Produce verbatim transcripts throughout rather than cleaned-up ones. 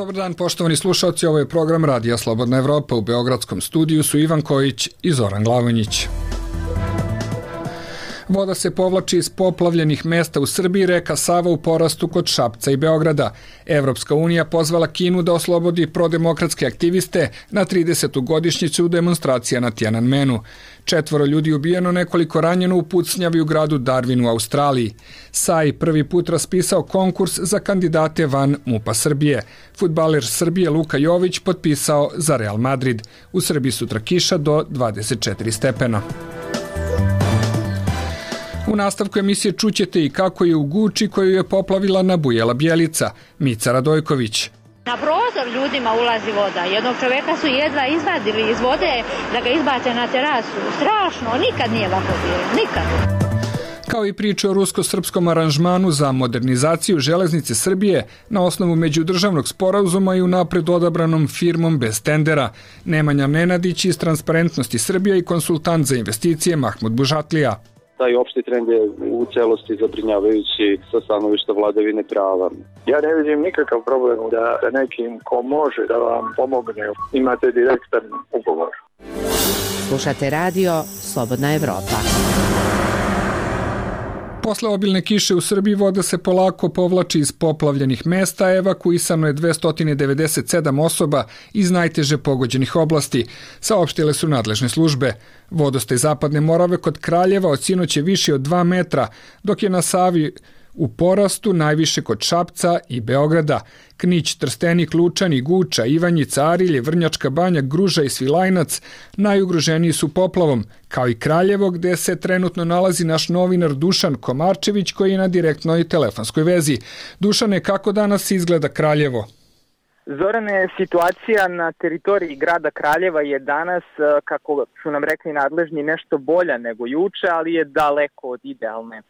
Dobar dan, poštovani slušalci, ovo je program Radija Slobodna Evropa. U beogradskom studiju su Ivan Kojić i Zoran Glavonjić. Voda se povlači iz poplavljenih mesta u Srbiji, reka Sava u porastu kod Šapca i Beograda. Evropska unija pozvala Kinu da oslobodi prodemokratske aktiviste na tridesetu godišnjicu demonstracija na Tiananmenu. Četvoro ljudi ubijeno, nekoliko ranjeno u pucnjavi u gradu Darwin u Australiji. S A I prvi put raspisao konkurs za kandidate van MUP-a Srbije. Fudbaler Srbije Luka Jović potpisao za Real Madrid. U Srbiji sutra kiša do dvadeset četiri stepena. U nastavku emisije čućete i kako je u Guči koju je poplavila nabujela Bjelica. Mica Radojković. Na prozor ljudima ulazi voda. Jednog čoveka su jedva izvadili iz vode da ga izbace na terasu. Strašno, nikad nije ovako bilo, nikad. Kao i priče o rusko-srpskom aranžmanu za modernizaciju železnice Srbije na osnovu međudržavnog sporazuma i unapred odabranom firmom bez tendera. Nemanja Nenadić iz Transparentnosti Srbija i konsultant za investicije Mahmud Bužatlija. Taj opšti trend je u celosti zabrinjavajući sa stanovišta vladavine prava. Ja ne vidim nikakav problem da nekim ko može da vam pomogne. Imate direktan ugovor. Slušate radio Slobodna Evropa. Posle obilne kiše u Srbiji voda se polako povlači iz poplavljenih mesta, evakuisano je dvesta devedeset sedam osoba iz najteže pogođenih oblasti, saopštile su nadležne službe. Vodostaj Zapadne Morave kod Kraljeva od sinoć je viši od dva metra, dok je na Savi u porastu najviše kod Šapca i Beograda. Knić, Trstenik, Lučani, Guča, Ivanjica, Arilje, Vrnjačka Banja, Gruža i Svilajnac najugroženiji su poplavom, kao i Kraljevo gde se trenutno nalazi naš novinar Dušan Komarčević koji je na direktnoj telefonskoj vezi. Dušane, kako danas izgleda Kraljevo? Zorane, situacija na teritoriji grada Kraljeva je danas, kako su nam rekli nadležni, nešto bolja nego juče, ali je daleko od idealne.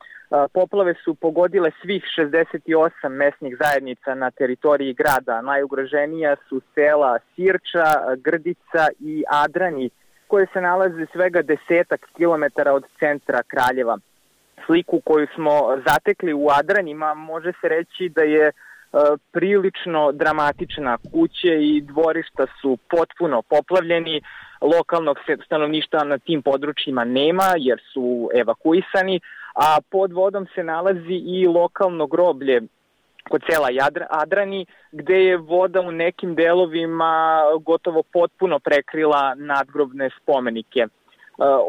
Poplave su pogodile svih šezdeset osam mesnih zajednica na teritoriji grada. Najugroženija su sela Sirča, Grdica i Adrani, koje se nalaze svega desetak kilometara od centra Kraljeva. Sliku koju smo zatekli u Adranima može se reći da je prilično dramatična. Kuće i dvorišta su potpuno poplavljeni, lokalnog stanovništva na tim područjima nema jer su evakuisani, a pod vodom se nalazi i lokalno groblje kod sela Adrani, gde je voda u nekim delovima gotovo potpuno prekrila nadgrobne spomenike.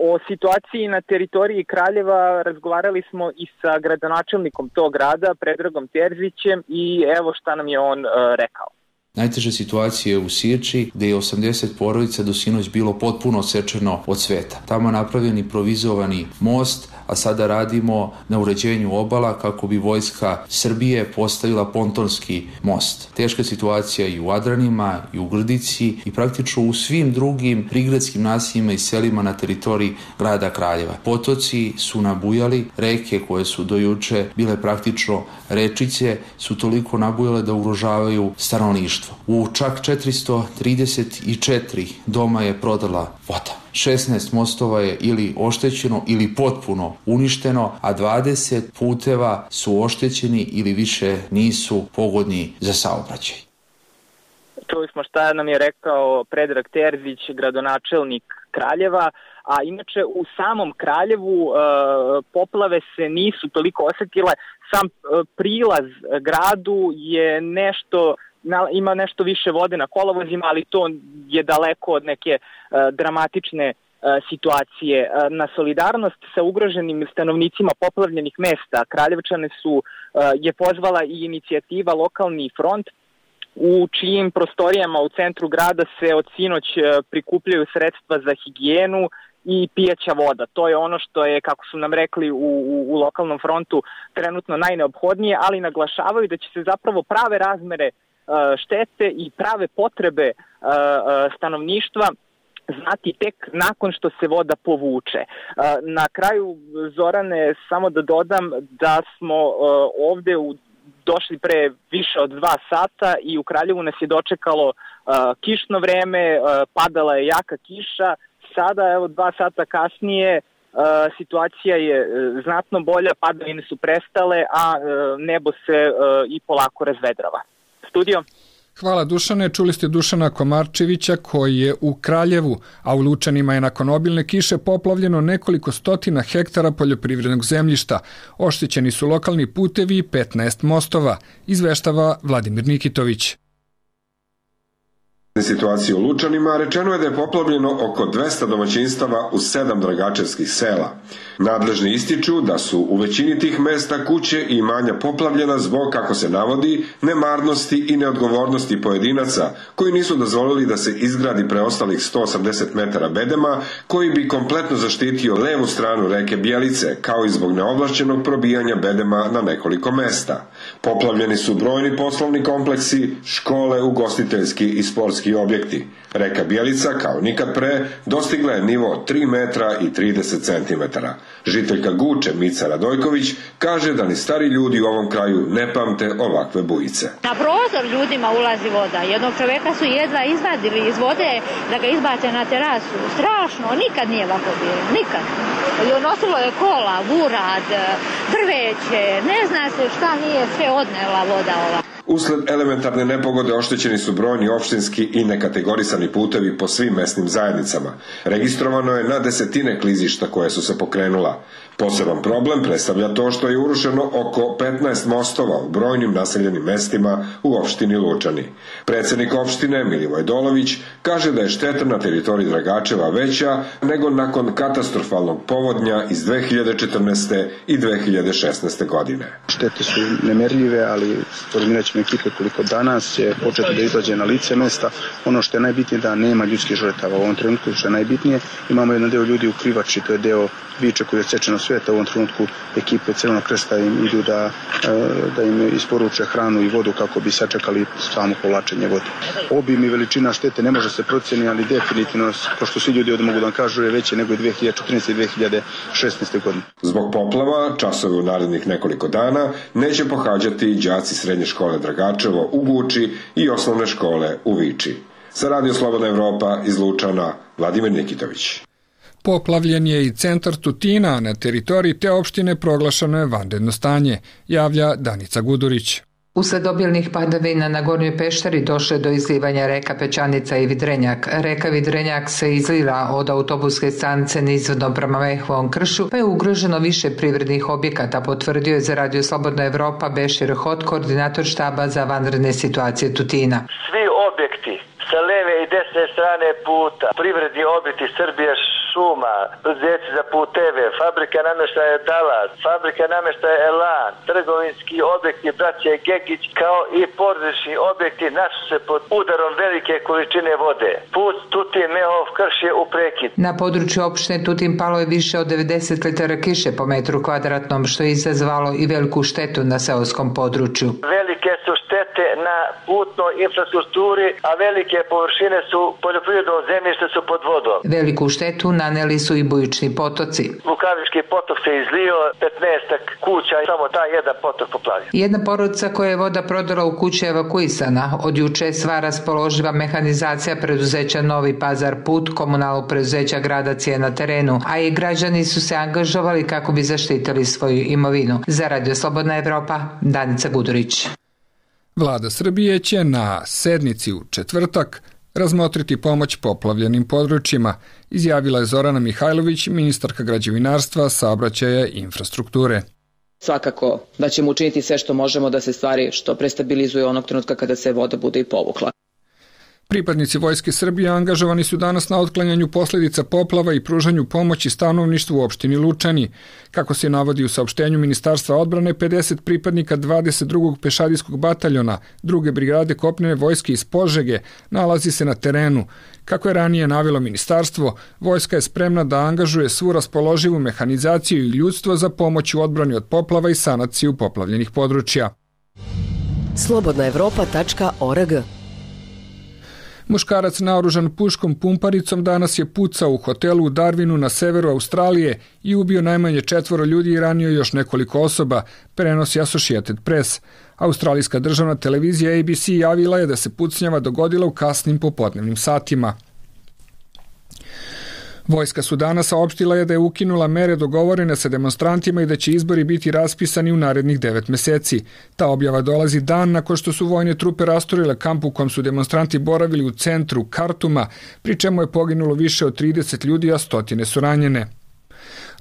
O situaciji na teritoriji Kraljeva razgovarali smo i sa gradonačelnikom tog grada, Predragom Terzićem, i evo šta nam je on rekao. Najteža situacija je u Sirči, gde je osamdeset porodica do sinoć bilo potpuno odsečeno od sveta. Tamo je napravljen improvizovani most, a sada radimo na uređenju obala kako bi vojska Srbije postavila pontonski most. Teška situacija i u Adranima, i u Grdici, i praktično u svim drugim prigradskim naseljima i selima na teritoriji grada Kraljeva. Potoci su nabujali, reke koje su do juče bile praktično rečice su toliko nabujale da ugrožavaju stanovništvo. U čak četiristo trideset četiri doma je prodala voda. šesnaest mostova je ili oštećeno ili potpuno uništeno, a dvadeset puteva su oštećeni ili više nisu pogodni za saobraćaj. Čuli smo šta nam je rekao Predrag Terzić, gradonačelnik Kraljeva, a inače u samom Kraljevu e, poplave se nisu toliko osetile. Sam e, prilaz gradu je nešto ima nešto više vode na kolovozima, ali to je daleko od neke uh, dramatične uh, situacije. Uh, na solidarnost sa ugroženim stanovnicima poplavljenih mesta Kraljevčane su, uh, je pozvala i inicijativa Lokalni front, u čijim prostorijama u centru grada se od sinoć uh, prikupljaju sredstva za higijenu i pijaća voda. To je ono što je, kako su nam rekli u, u, u Lokalnom frontu, trenutno najneophodnije, ali naglašavaju da će se zapravo prave razmere štete i prave potrebe stanovništa znati tek nakon što se voda povuče. Na kraju, Zorane, samo da dodam da smo ovde u, došli pre više od dva sata i u Kraljevu nas je dočekalo kišno vreme, padala je jaka kiša. Sada, evo, dva sata kasnije, situacija je znatno bolja, padavine su prestale, a nebo se i polako razvedrava. Studio. Hvala Dušane, čuli ste Dušana Komarčevića koji je u Kraljevu, a u Lučanima je nakon obilne kiše poplavljeno nekoliko stotina hektara poljoprivrednog zemljišta. Oštećeni su lokalni putevi i petnaest mostova, izveštava Vladimir Nikitović. Situacije u Lučanima rečeno je da je poplavljeno oko dvesta domaćinstava u sedam dragačevskih sela. Nadležni ističu da su u većini tih mesta kuće i imanja poplavljena zbog, kako se navodi, nemarnosti i neodgovornosti pojedinaca koji nisu dozvolili da se izgradi preostalih sto osamdeset metara bedema koji bi kompletno zaštitio levu stranu reke Bjelice, kao i zbog neovlašćenog probijanja bedema na nekoliko mesta. Poplavljeni su brojni poslovni kompleksi, škole, ugostiteljski i sportski objekti. Reka Bjelica, kao nikad pre, dostigla je nivo tri metra i trideset centimetara. Žiteljka Guče, Mica Radojković, kaže da ni stari ljudi u ovom kraju ne pamte ovakve bujice. Na prozor ljudima ulazi voda. Jednog čoveka su jedva izvadili iz vode da ga izbace na terasu. Strašno, nikad nije ovako bilo, nikad. Nosilo je kola, burad, drveće, ne zna se šta nije sve odnela voda ova. Usled elementarne nepogode oštećeni su brojni opštinski i nekategorisani putevi po svim mesnim zajednicama. Registrovano je na desetine klizišta koje su se pokrenula. Poseban problem predstavlja to što je urušeno oko petnaest mostova u brojnim naseljenim mestima u opštini Lučani. Predsednik opštine Milivoj Dolović kaže da je šteta na teritoriji Dragačeva veća nego nakon katastrofalnog povodnja iz dve hiljade četrnaeste i dve hiljade šesnaeste godine. Štete su nemerljive, ali formirat ćemo ekipe koliko danas će početi da izlađe na lice mesta. Ono što je najbitnije da nema ljudskih žrtava u ovom trenutku, što je najbitnije. Imamo jedan deo ljudi u Krivači, to je deo biča koji je odsečeno sveta. U ovom trenutku ekipe Crvenog krsta im idu da, da im isporuče hranu i vodu kako bi sačekali samo povlačenje vode. Obim i veličina štete ne može se proceniti, ali definitivno, pošto svi ljudi ovdje mogu da vam kažu, je veće nego dve hiljade četrnaeste i dve hiljade šesnaeste godine. Zbog poplava, časove u narednih nekoliko dana neće pohađati đaci srednje škole Dragačevo u Guči i osnovne škole u Viči. Za Radio Slobodna Evropa iz Lučana, Vladimir Nikitović. Poplavljen je i centar Tutina, a na teritoriji te opštine proglašeno je vanredno stanje, javlja Danica Gudurić. Usled obilnih padavina na Gornjoj Peštari došlo je do izlivanja reka Pećanica i Vidrenjak. Reka Vidrenjak se izlila od autobuske stanice nizvodno prema Mehovom kršu, pa je ugroženo više privrednih objekata, potvrdio je za Radio Slobodna Evropa Bešir Hot, koordinator štaba za vanredne situacije Tutina. Svi objekti sa leve i desne strane puta, privredni objekti Srbije šuma, preduzeće za puteve, fabrika namještaja Dalas, fabrika namještaja Elan, trgovinski objekti braće Gegić, kao i porodični objekti našli se pod udarom velike količine vode. Put Tutin Mehov krš je u prekid. Na području opštine Tutin palo je više od devedeset litara kiše po metru kvadratnom, što je izazvalo i veliku štetu na seoskom području. Velike su štete na putnoj infrastrukturi, a velike površine su poljoprivredno zemljište su pod vodom. Veliku štetu naneli su i bujični potoci. Vukavički potok se izlio, petnaestak kuća, samo taj jedan potok poplavio. Jedna porodica koja je voda prodala u kući evakuisana. Od juče je sva raspoloživa mehanizacija preduzeća Novi Pazar Put, komunalnog preduzeća Gradac je na terenu, a i građani su se angažovali kako bi zaštitili svoju imovinu. Za Radio Slobodna Evropa, Danica Gudurić. Vlada Srbije će na sednici u četvrtak razmotriti pomoć poplavljenim područjima, izjavila je Zorana Mihajlović, ministarka građevinarstva, saobraćaja i infrastrukture. Svakako da ćemo učiniti sve što možemo da se stvari što prestabilizuje onog trenutka kada se voda bude i povukla. Pripadnici Vojske Srbije angažovani su danas na otklanjanju posljedica poplava i pružanju pomoći stanovništvu u opštini Lučani. Kako se navodi u saopštenju Ministarstva odbrane, pedeset pripadnika dvadeset drugog pešadijskog bataljona druge brigade kopnene vojske iz Požege nalazi se na terenu. Kako je ranije navelo ministarstvo, vojska je spremna da angažuje svu raspoloživu mehanizaciju i ljudstvo za pomoć u odbrani od poplava i sanaciju poplavljenih područja. slobodna evropa tačka org. Muškarac naoružan puškom pumparicom danas je pucao u hotelu u Darwinu na severu Australije i ubio najmanje četvoro ljudi i ranio još nekoliko osoba, prenosi Associated Press. Australijska državna televizija A B C javila je da se pucnjava dogodila u kasnim popodnevnim satima. Vojska Sudana saopštila je da je ukinula mere dogovorene sa demonstrantima i da će izbori biti raspisani u narednih devet meseci. Ta objava dolazi dan nakon što su vojne trupe rastorile kamp u kom su demonstranti boravili u centru Kartuma, pri čemu je poginulo više od trideset ljudi, a stotine su ranjene.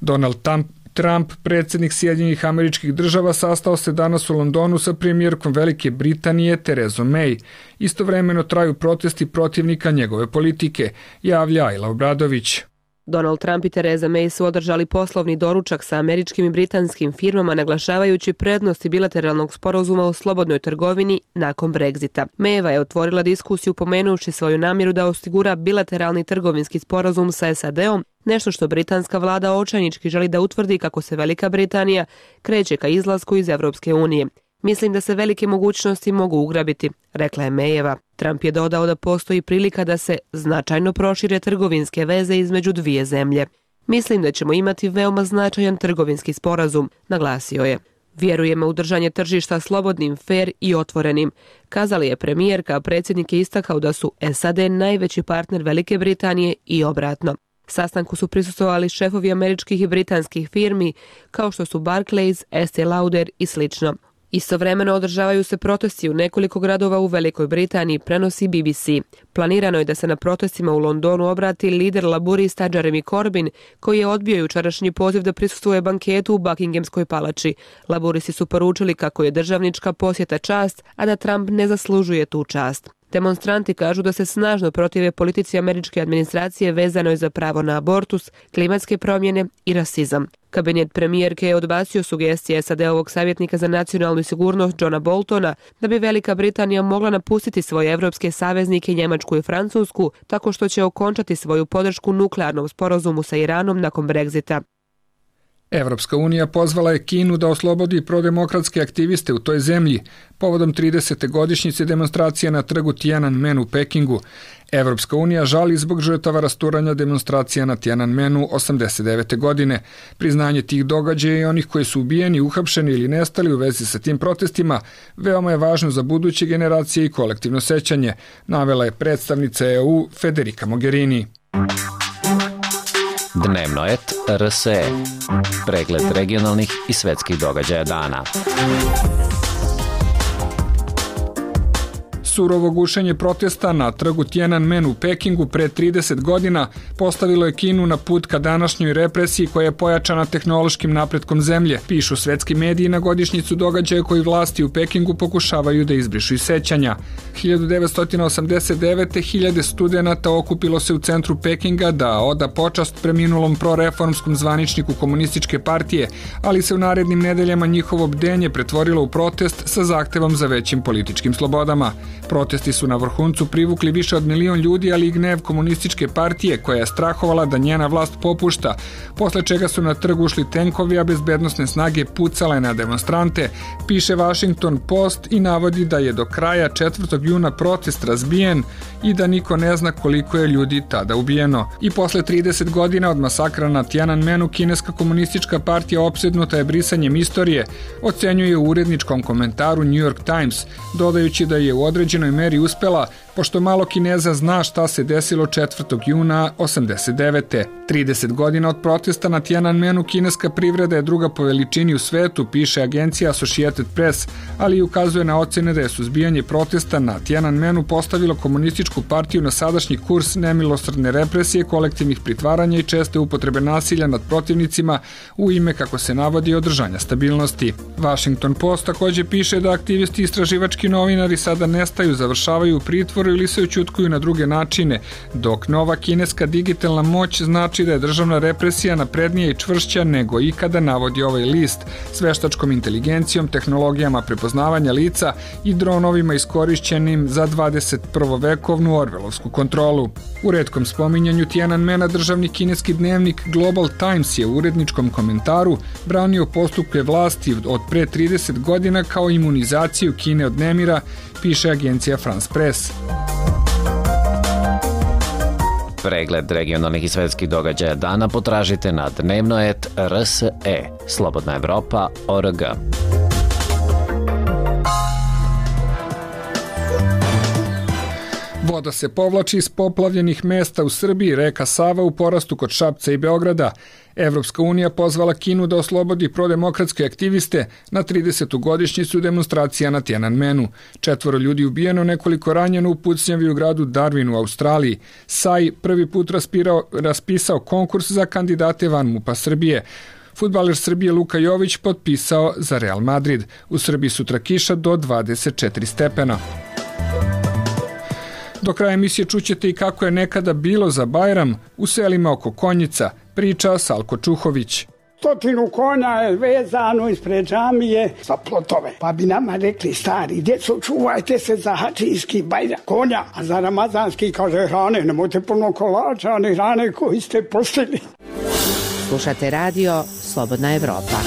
Donald Trump Trump, predsjednik Sjedinjenih Američkih Država, sastao se danas u Londonu sa premijerkom Velike Britanije Terezom May. Istovremeno traju protesti protivnika njegove politike, javlja Ajla Obradović. Donald Trump i Tereza May su održali poslovni doručak sa američkim i britanskim firmama, naglašavajući prednosti bilateralnog sporazuma o slobodnoj trgovini nakon Brexita. Mayeva je otvorila diskusiju pomenuši svoju namjeru da osigura bilateralni trgovinski sporazum sa S A D-om, nešto što britanska vlada očajnički želi da utvrdi kako se Velika Britanija kreće ka izlasku iz Evropske unije. Mislim da se velike mogućnosti mogu ugrabiti, rekla je Mayeva. Trump je dodao da postoji prilika da se značajno prošire trgovinske veze između dvije zemlje. Mislim da ćemo imati veoma značajan trgovinski sporazum, naglasio je. Vjerujemo u držanje tržišta slobodnim, fer i otvorenim, kazali je premijerka, a predsjednik je istakao da su S A D najveći partner Velike Britanije i obratno. Sastanku su prisustvovali šefovi američkih i britanskih firmi, kao što su Barclays, Estee Lauder i slično. Istovremeno održavaju se protesti u nekoliko gradova u Velikoj Britaniji, prenosi B B C. Planirano je da se na protestima u Londonu obrati lider laburista Jeremy Corbyn, koji je odbio jučerašnji poziv da prisustvuje banketu u Buckinghamskoj palači. Laburisti su poručili kako je državnička posjeta čast, a da Trump ne zaslužuje tu čast. Demonstranti kažu da se snažno protive politici američke administracije vezanoj za pravo na abortus, klimatske promjene i rasizam. Kabinet premijerke je odbacio sugestije S A D-ovog savjetnika za nacionalnu sigurnost Johna Boltona da bi Velika Britanija mogla napustiti svoje evropske saveznike Njemačku i Francusku tako što će okončati svoju podršku nuklearnom sporazumu sa Iranom nakon Brexita. Evropska unija pozvala je Kinu da oslobodi prodemokratske aktiviste u toj zemlji povodom tridesete godišnjice demonstracije na trgu Tiananmen u Pekingu. Evropska unija žali zbog žrtava rasturanja demonstracija na Tiananmenu osamdeset devete godine. Priznanje tih događaja i onih koji su ubijeni, uhapšeni ili nestali u vezi sa tim protestima veoma je važno za buduće generacije i kolektivno sećanje, navela je predstavnica E U Federica Mogherini. Dnevno et R S E. Pregled regionalnih i svetskih događaja dana. Surovo gušenje protesta na trgu Tiananmen u Pekingu pre trideset godina postavilo je Kinu na put ka današnjoj represiji koja je pojačana tehnološkim napretkom zemlje, pišu svetski mediji na godišnjicu događaja koji vlasti u Pekingu pokušavaju da izbrišu iz sećanja. hiljadu devetsto osamdeset devete. hiljade studenata okupilo se u centru Pekinga da oda počast preminulom proreformskom zvaničniku komunističke partije, ali se u narednim nedeljama njihovo bdenje pretvorilo u protest sa zahtevom za većim političkim slobodama. Protesti su na vrhuncu privukli više od milion ljudi, ali i gnev komunističke partije koja je strahovala da njena vlast popušta, posle čega su na trg ušli tenkovi, a bezbednosne snage pucale na demonstrante, piše Washington Post i navodi da je do kraja četvrtog juna protest razbijen i da niko ne zna koliko je ljudi tada ubijeno. I posle trideset godina od masakra na Tiananmenu, kineska komunistička partija opsednuta je brisanjem istorije, ocenjuje u uredničkom komentaru New York Times, dodajući da je u određenoj meri uspela, pošto malo Kineza zna šta se desilo četvrtog juna osamdeset devete. trideset godina od protesta na Tiananmenu kineska privreda je druga po veličini u svetu, piše agencija Associated Press, ali i ukazuje na ocene da je suzbijanje protesta na Tiananmenu postavilo komunističku partiju na sadašnji kurs nemilosrdne represije, kolektivnih pritvaranja i česte upotrebe nasilja nad protivnicima u ime, kako se navodi, održanja stabilnosti. Washington Post takođe piše da aktivisti i istraživački novinari sada nestaju, završavaju u pritvoru ili se ućutkuju na druge načine, dok nova kineska digitalna moć znači da je državna represija naprednija i čvršća nego ikada, navodi ovaj list, s veštačkom inteligencijom, tehnologijama prepoznavanja lica i dronovima iskorišćenim za dvadeset prvovekovnu orvelovsku kontrolu. U retkom spominjanju Tiananmena državni kineski dnevnik Global Times je u uredničkom komentaru branio postupke vlasti od pre trideset godina kao imunizaciju Kine od nemira, piše agencija France Press. Pregled regionalnih i svetskih događaja dana potražite na dnevno et R S E, Slobodna Evropa точка org. Voda se povlači iz poplavljenih mesta u Srbiji, reka Sava u porastu kod Šapca i Beograda. Evropska unija pozvala Kinu da oslobodi prodemokratske aktiviste na tridesetu godišnjicu demonstracija na Tiananmenu. Četvoro ljudi ubijeno, nekoliko ranjeno u pucnjavi u gradu Darwin u Australiji. Sai prvi put raspirao, raspisao konkurs za kandidate van MUP-a Srbije. Fudbaler Srbije Luka Jović potpisao za Real Madrid. U Srbiji sutra kiša do dvadeset četiri stepena. Do kraja emisije čućete i kako je nekada bilo za Bajram u selima oko Konjica, priča Salko Čuhović. Stotinu konja je vezano ispred džamije za plotove. Pa bi nama rekli stari, djeco, čuvajte se za hačijski Bajram konja, a za ramazanski, kaže, hrane, nemojte puno kolača, a ne hrane koji ste postili. Slušate radio Slobodna Evropa.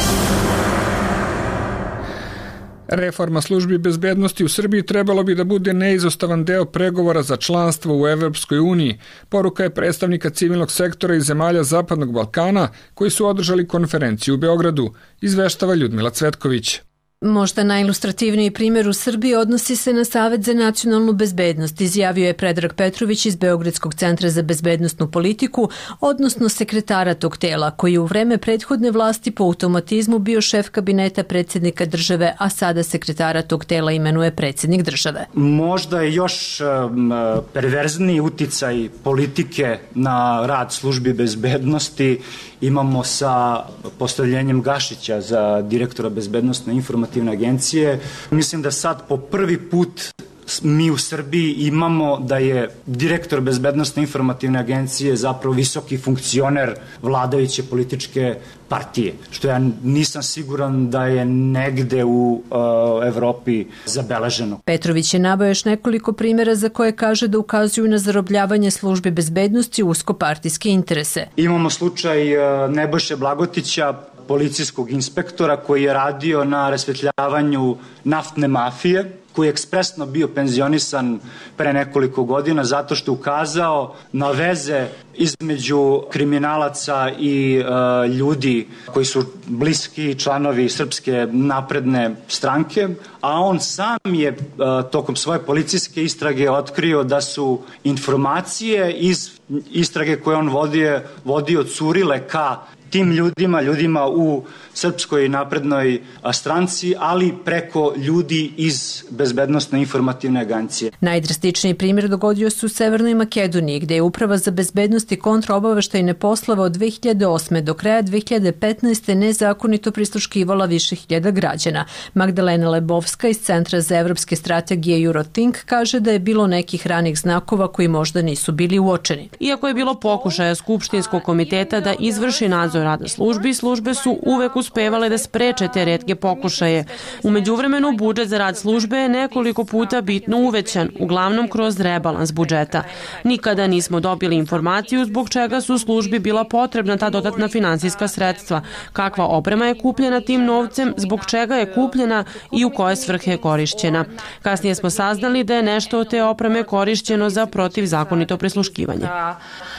Reforma službi bezbednosti u Srbiji trebalo bi da bude neizostavan deo pregovora za članstvo u Evropskoj uniji. Poruka je predstavnika civilnog sektora iz zemalja Zapadnog Balkana koji su održali konferenciju u Beogradu, izveštava Ljudmila Cvetković. Možda najilustrativniji primjer u Srbiji odnosi se na Savet za nacionalnu bezbednost, izjavio je Predrag Petrović iz Beogradskog centra za bezbednostnu politiku, odnosno sekretara tog tela, koji je u vreme prethodne vlasti po automatizmu bio šef kabineta predsjednika države, a sada sekretara tog tela imenuje predsjednik države. Možda je još um, perverzniji uticaj politike na rad službi bezbednosti imamo sa postavljenjem Gašića za direktora bezbednostne informativne agencije. Mislim da sad po prvi put mi u Srbiji imamo da je direktor bezbednostne informativne agencije zapravo visoki funkcioner vladajuće političke partije, što ja nisam siguran da je negde u uh, Evropi zabeleženo. Petrović je naveo još nekoliko primjera za koje kaže da ukazuju na zarobljavanje službe bezbednosti u uskopartijske interese. Imamo slučaj uh, Nebojše Blagotića, policijskog inspektora koji je radio na rasvetljavanju naftne mafije, koji je ekspresno bio penzionisan pre nekoliko godina zato što ukazao na veze između kriminalaca i e, ljudi koji su bliski članovi Srpske napredne stranke, a on sam je e, tokom svoje policijske istrage otkrio da su informacije iz istrage koje on vodio, vodio curile ka tim ljudima, ljudima u Srpskoj naprednoj stranci, ali preko ljudi iz bezbednostne informativne agencije. Najdrastičniji primjer dogodio se u Severnoj Makedoniji, gde je Uprava za bezbednost i kontraobaveštajne poslove od dve hiljade osme do kraja dve hiljade petnaeste nezakonito prisluškivala više hiljada građana. Magdalena Lebovska iz Centra za evropske strategije Eurothink kaže da je bilo nekih ranih znakova koji možda nisu bili uočeni. Iako je bilo pokušaja Skupštinskog komiteta da izvrši nadzor rada službi, službe su uvek uspevale da spreče te retke pokušaje. U međuvremenu budžet za rad službe je nekoliko puta bitno uvećan, uglavnom kroz rebalans budžeta. Nikada nismo dobili informaciju zbog čega su službi bila potrebna ta dodatna finansijska sredstva, kakva oprema je kupljena tim novcem, zbog čega je kupljena i u koje svrhe je korišćena. Kasnije smo saznali da je nešto od te opreme korišćeno za protivzakonito prisluškivanje.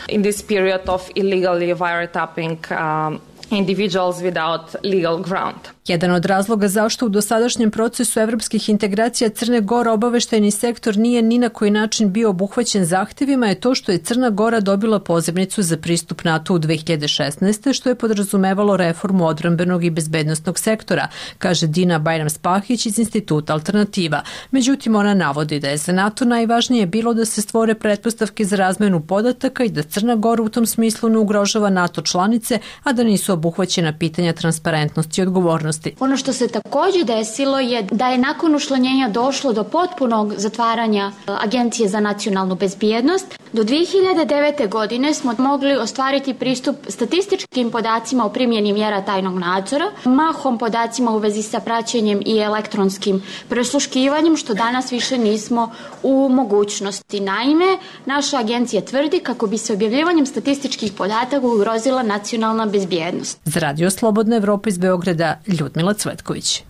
In this period of illegally wiretapping um, individuals without legal ground. Jedan od razloga zašto u dosadašnjem procesu evropskih integracija Crne Gore obaveštajni sektor nije ni na koji način bio obuhvaćen zahtevima je to što je Crna Gora dobila pozivnicu za pristup NATO u dve hiljade šesnaeste. što je podrazumevalo reformu odbrambenog i bezbednostnog sektora, kaže Dina Bajram-Spahić iz Instituta Alternativa. Međutim, ona navodi da je za NATO najvažnije bilo da se stvore pretpostavke za razmenu podataka i da Crna Gora u tom smislu ne ugrožava NATO članice, a da nisu obuhvaćena pitanja transparentnosti i odgovornosti. Ono što se također desilo je da je nakon učlanjenja došlo do potpunog zatvaranja Agencije za nacionalnu bezbjednost. Do dve hiljade devete. godine smo mogli ostvariti pristup statističkim podacima o primjeni mjera tajnog nadzora, mahom podacima u vezi sa praćenjem i elektronskim prisluškivanjem, što danas više nismo u mogućnosti. Naime, naša agencija tvrdi kako bi se objavljivanjem statističkih podataka ugrozila nacionalna bezbjednost. Za Radio Slobodna Evropa iz Beograda, Ljudmila Cvetković.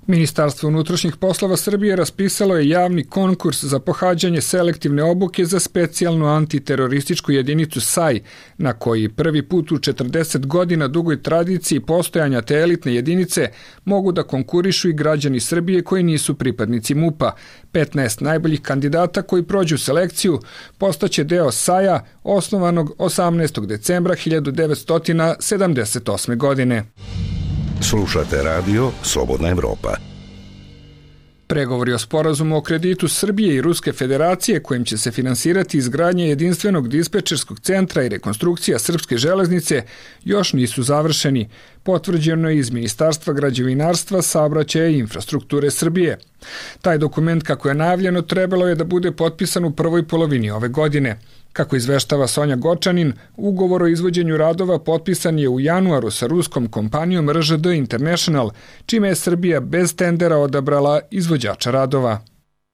Ministarstvo unutrašnjih poslova Srbije raspisalo je javni konkurs za pohađanje selektivne obuke za specijalnu antiterorističku jedinicu S A I, na koji prvi put u četrdeset godina dugoj tradiciji postojanja te elitne jedinice mogu da konkurišu i građani Srbije koji nisu pripadnici MUP-a. petnaest najboljih kandidata koji prođu selekciju postaće deo S A I-a osnovanog osamnaestog decembra hiljadu devetsto sedamdeset osme. godine. Slušate radio Slobodna Evropa. Pregovori o sporazumu o kreditu Srbije i Ruske federacije kojim će se finansirati izgradnje jedinstvenog dispečerskog centra i rekonstrukcija srpske železnice još nisu završeni, potvrđeno je iz Ministarstva građevinarstva, saobraćaja i infrastrukture Srbije. Taj dokument, kako je najavljeno, trebalo je da bude potpisan u prvoj polovini ove godine. Kako izveštava Sonja Gočanin, ugovor o izvođenju radova potpisan je u januaru sa ruskom kompanijom R Ž D International, čime je Srbija bez tendera odabrala izvođača radova.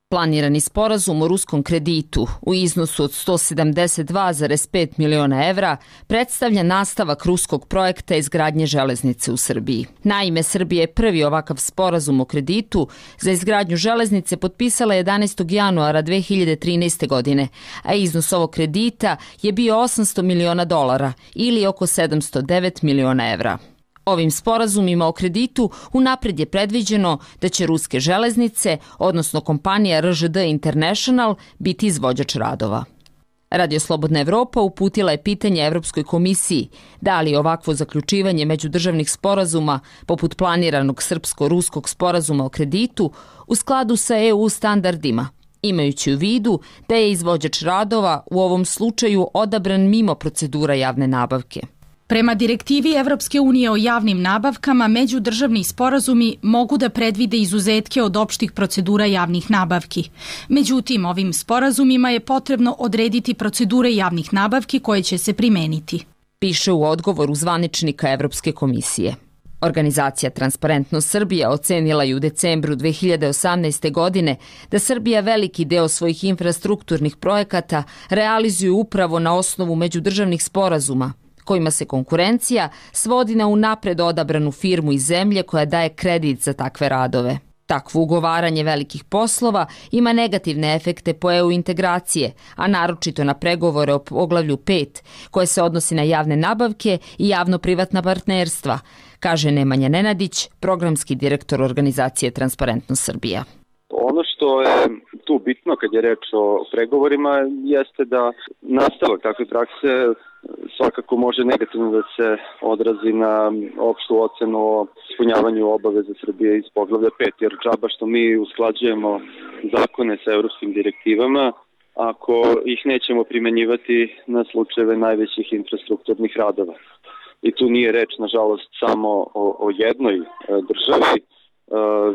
Planirani sporazum o ruskom kreditu u iznosu od sto sedamdeset dva zarez pet miliona evra predstavlja nastavak ruskog projekta izgradnje železnice u Srbiji. Naime, Srbija je prvi ovakav sporazum o kreditu za izgradnju železnice potpisala jedanaestog januara dve hiljade trinaeste. godine, a iznos ovog kredita je bio osamsto miliona dolara ili oko sedamsto devet miliona evra. Ovim sporazumima o kreditu unapred je predviđeno da će ruske železnice, odnosno kompanija R Ž D International, biti izvođač radova. Radio Slobodna Evropa uputila je pitanje Evropskoj komisiji da li ovakvo zaključivanje međudržavnih sporazuma, poput planiranog srpsko-ruskog sporazuma o kreditu, u skladu sa E U standardima, imajući u vidu da je izvođač radova u ovom slučaju odabran mimo procedura javne nabavke. Prema direktivi Evropske unije o javnim nabavkama, međudržavni sporazumi mogu da predvide izuzetke od opštih procedura javnih nabavki. Međutim, ovim sporazumima je potrebno odrediti procedure javnih nabavki koje će se primeniti. Piše u odgovoru zvaničnika Evropske komisije. Organizacija Transparentnost Srbija ocenila je u decembru dve hiljade osamnaeste. godine da Srbija veliki deo svojih infrastrukturnih projekata realizuje upravo na osnovu međudržavnih sporazuma, kojima se konkurencija svodi na unapred odabranu firmu iz zemlje koja daje kredit za takve radove. Takvo ugovaranje velikih poslova ima negativne efekte po E U integracije, a naročito na pregovore o poglavlju pet, koje se odnosi na javne nabavke i javno-privatna partnerstva, kaže Nemanja Nenadić, programski direktor organizacije Transparentnost Srbija. Ono što je tu bitno kad je reč o pregovorima jeste da nastavak takve prakse svakako može negativno da se odrazi na opštu ocenu o ispunjavanju obaveza Srbije iz poglavlja pet, jer džaba što mi usklađujemo zakone sa evropskim direktivama ako ih nećemo primenjivati na slučajeve najvećih infrastrukturnih radova. I tu nije reč, nažalost, samo o, o jednoj državi,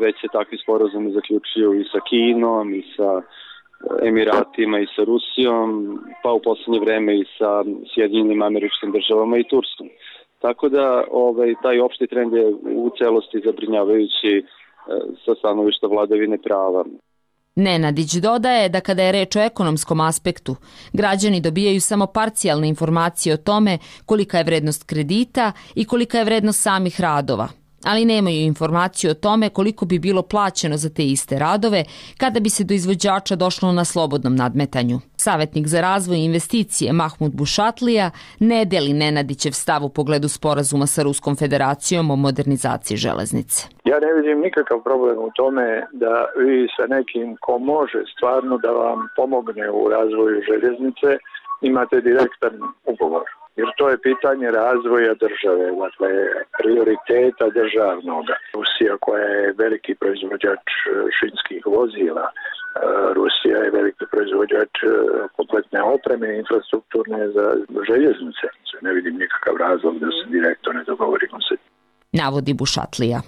već se takvi sporazumi zaključuju i sa Kinom, i sa Emiratima, i sa Rusijom, pa u poslednje vreme i sa Sjedinjenim Američkim Državama i Turskom. Tako da ovaj, taj opšti trend je u celosti zabrinjavajući sa stanovišta vladavine prava. Nenadić dodaje da kada je reč o ekonomskom aspektu, građani dobijaju samo parcijalne informacije o tome kolika je vrednost kredita i kolika je vrednost samih radova, ali nemaju informaciju o tome koliko bi bilo plaćeno za te iste radove kada bi se do izvođača došlo na slobodnom nadmetanju. Savetnik za razvoj i investicije Mahmud Bušatlija ne deli Nenadićev stav u pogledu sporazuma sa Ruskom federacijom o modernizaciji železnice. Ja ne vidim nikakav problem u tome da vi sa nekim ko može stvarno da vam pomogne u razvoju željeznice imate direktan ugovor. Jer to je pitanje razvoja države, dakle prioriteta državnoga. Rusija koja je veliki proizvođač šinskih vozila, Rusija je veliki proizvođač kompletne opreme i infrastrukturne za željeznice. Ne vidim nikakav razlog da se direktno ne dogovorimo se. Navodi Bušatlija.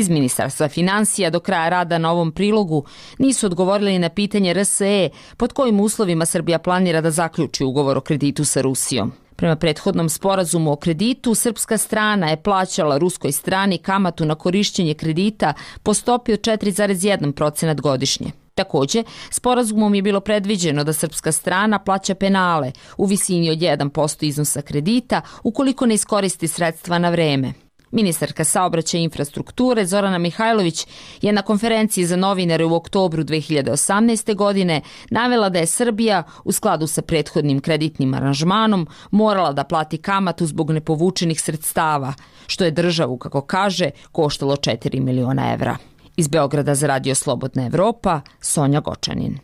Iz Ministarstva financija do kraja rada na ovom prilogu nisu odgovorili na pitanje R S E pod kojim uslovima Srbija planira da zaključi ugovor o kreditu sa Rusijom. Prema prethodnom sporazumu o kreditu, srpska strana je plaćala ruskoj strani kamatu na korišćenje kredita po stopi od četiri zarez jedan procenat godišnje. Takođe, sporazumom je bilo predviđeno da srpska strana plaća penale u visini od jedan posto iznosa kredita ukoliko ne iskoristi sredstva na vreme. Ministarka saobraćaja i infrastrukture Zorana Mihajlović je na konferenciji za novinare u oktobru dve hiljade osamnaeste. godine navela da je Srbija u skladu sa prethodnim kreditnim aranžmanom morala da plati kamatu zbog nepovučenih sredstava, što je državu, kako kaže, koštalo četiri miliona evra. Iz Beograda za Radio Slobodna Evropa, Sonja Gočanin.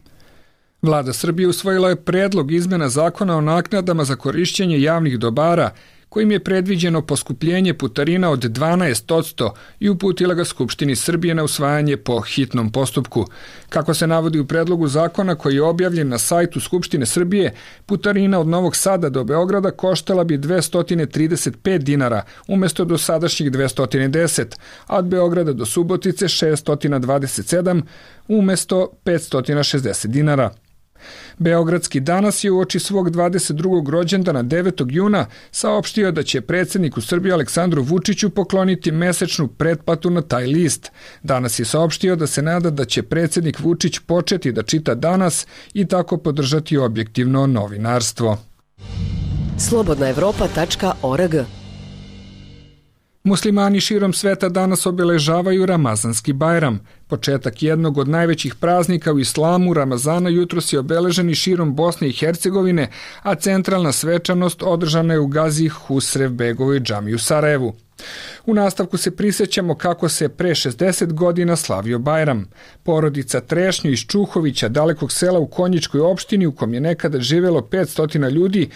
Vlada Srbije usvojila je predlog izmena zakona o naknadama za korišćenje javnih dobara, kojim je predviđeno poskupljenje putarina od dvanaest posto i uputila ga Skupštini Srbije na usvajanje po hitnom postupku. Kako se navodi u predlogu zakona koji je objavljen na sajtu Skupštine Srbije, putarina od Novog Sada do Beograda koštala bi dvesta trideset pet dinara umjesto do sadašnjih dvesta deset, a od Beograda do Subotice šessto dvadeset sedam umjesto petsto šezdeset dinara. Beogradski danas je uoči svog dvadeset drugog rođendana devetog juna saopštio da će predsjedniku Srbije Aleksandru Vučiću pokloniti mesečnu pretplatu na taj list. Danas je saopštio da se nada da će predsjednik Vučić početi da čita Danas i tako podržati objektivno novinarstvo. slobodna evropa tačka org. Muslimani širom sveta danas obeležavaju Ramazanski Bajram. Početak jednog od najvećih praznika u islamu, Ramazana, jutros je obeležen i širom Bosne i Hercegovine, a centralna svečanost održana je u Gazi Husrev Begovoj džamiji u Sarajevu. U nastavku se prisjećamo kako se pre šezdeset godina slavio Bajram. Porodica Trešnjo iz Čuhovića, dalekog sela u Konjičkoj opštini u kom je nekada živelo petsto ljudi,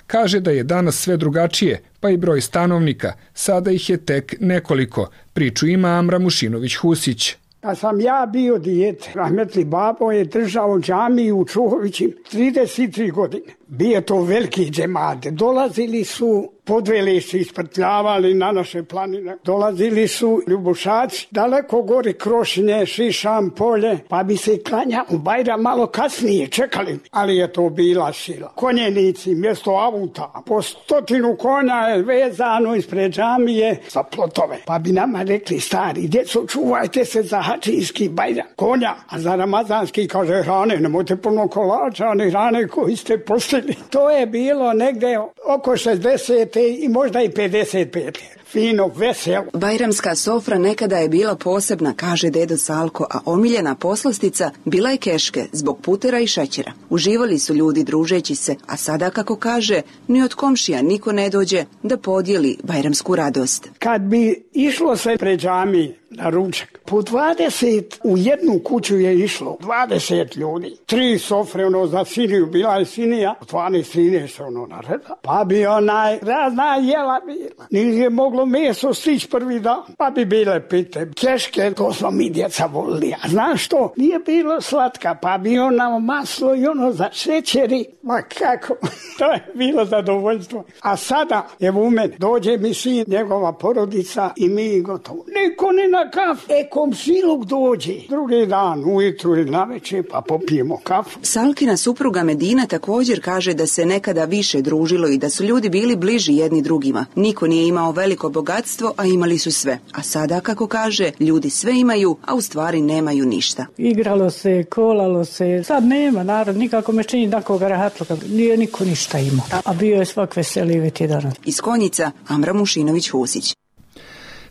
kaže da je danas sve drugačije, pa i broj stanovnika. Sada ih je tek nekoliko. Priču ima Amra Mušinović-Husić. Kad sam ja bio dijete, rahmetli babo je držao džamiju u Čuhovićim trideset tri godine. Bio to veliki džemate. Dolazili su, podveli se, isprtljavali na naše planine. Dolazili su ljubušaci, daleko gori Krošinje, Šišam, Polje, pa bi se klanja u Bajram malo kasnije, čekali. Ali je to bila sila. Konjenici, mjesto avuta, po stotinu konja je vezano ispred džamije sa plotove. Pa bi nama rekli, stari, djeco, čuvajte se za hačijski Bajram. Konja, a za ramazanski, kaže, hrane, nemojte puno kolača, one hrane koji ste postili. To je bilo negde oko šezdeset i možda i pedeset pet. Fino, veselo. Bajramska sofra nekada je bila posebna, kaže dedo Salko, a omiljena poslastica bila je keške zbog putera i šećera. Uživali su ljudi družeći se, a sada, kako kaže, ni od komšija niko ne dođe da podijeli bajramsku radost. Kad bi išlo se pred džami na ručak, po dvadeset u jednu kuću je išlo, dvadeset ljudi. Tri sofre, ono, za siniju, bila je sinija, dvanaest trinaest ono nareda. Pa bi onaj razna jela bila. Nije moglo meso stići prvi dan, pa bi bile pite. Keške, to smo mi djeca volili. A znaš što? Nije bilo slatka, pa bi ono maslo i ono za šećeri. Ma kako? To je bilo zadovoljstvo. A sada, evo u mene, dođe mi sin, njegova porodica i mi gotovo. Niko ne na kafu. E, komšiluk dođe. Drugi dan, ujutru ili navečer, pa popijemo kafu. Salkina supruga Medina također kaže da se nekada više družilo i da su ljudi bili bliži jedni drugima. Niko nije imao veliko bogatstvo, a imali su sve. A sada, kako kaže, ljudi sve imaju, a u stvari nemaju ništa. Igralo se, kolalo se. Sad nema, narod, nikako me čini takoga rahatluka. Nije niko ništa imao. A bio je svak veselije ti danas. Iz Konjica, Amra Mušinović-Husić.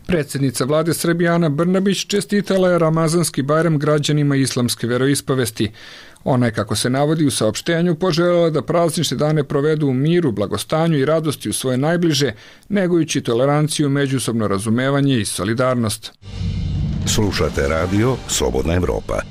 Predsjednica vlade Srbije Ana Brnabić čestitala je Ramazanski Bajram građanima islamske veroispovesti. Ona je, kako se navodi u saopštenju, poželjela da praznične dane provedu u miru, blagostanju i radosti u svoje najbliže, negujući toleranciju, međusobno razumevanje i solidarnost. Slušate radio Slobodna Evropa.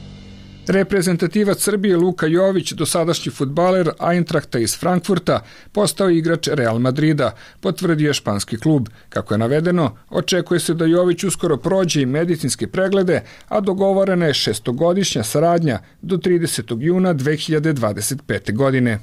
Reprezentativac Srbije Luka Jović, dosadašnji fudbaler Eintrachta iz Frankfurta, postao igrač Real Madrida, potvrdio je španski klub. Kako je navedeno, očekuje se da Jović uskoro prođe i medicinske preglede, a dogovorena je šestogodišnja saradnja do tridesetog juna dve hiljade dvadeset pete. godine.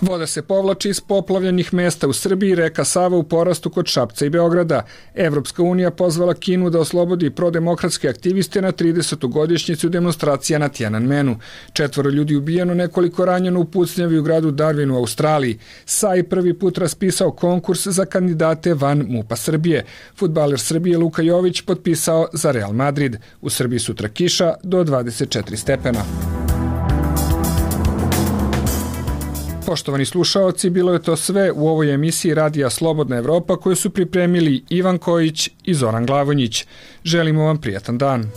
Voda se povlači iz poplavljenih mesta u Srbiji, reka Sava u porastu kod Šapca i Beograda. Evropska unija pozvala Kinu da oslobodi prodemokratske aktiviste na tridesetu godišnjicu demonstracija na Tiananmenu. Četvoro ljudi ubijeno, nekoliko ranjeno u pucnjavi u gradu Darwin u Australiji. Sai prvi put raspisao konkurs za kandidate van MUP-a Srbije. Fudbaler Srbije Luka Jović potpisao za Real Madrid. U Srbiji sutra kiša do dvadeset četiri stepena. Poštovani slušaoci, bilo je to sve u ovoj emisiji Radija Slobodna Evropa koju su pripremili Ivan Kojić i Zoran Glavonjić. Želimo vam prijatan dan.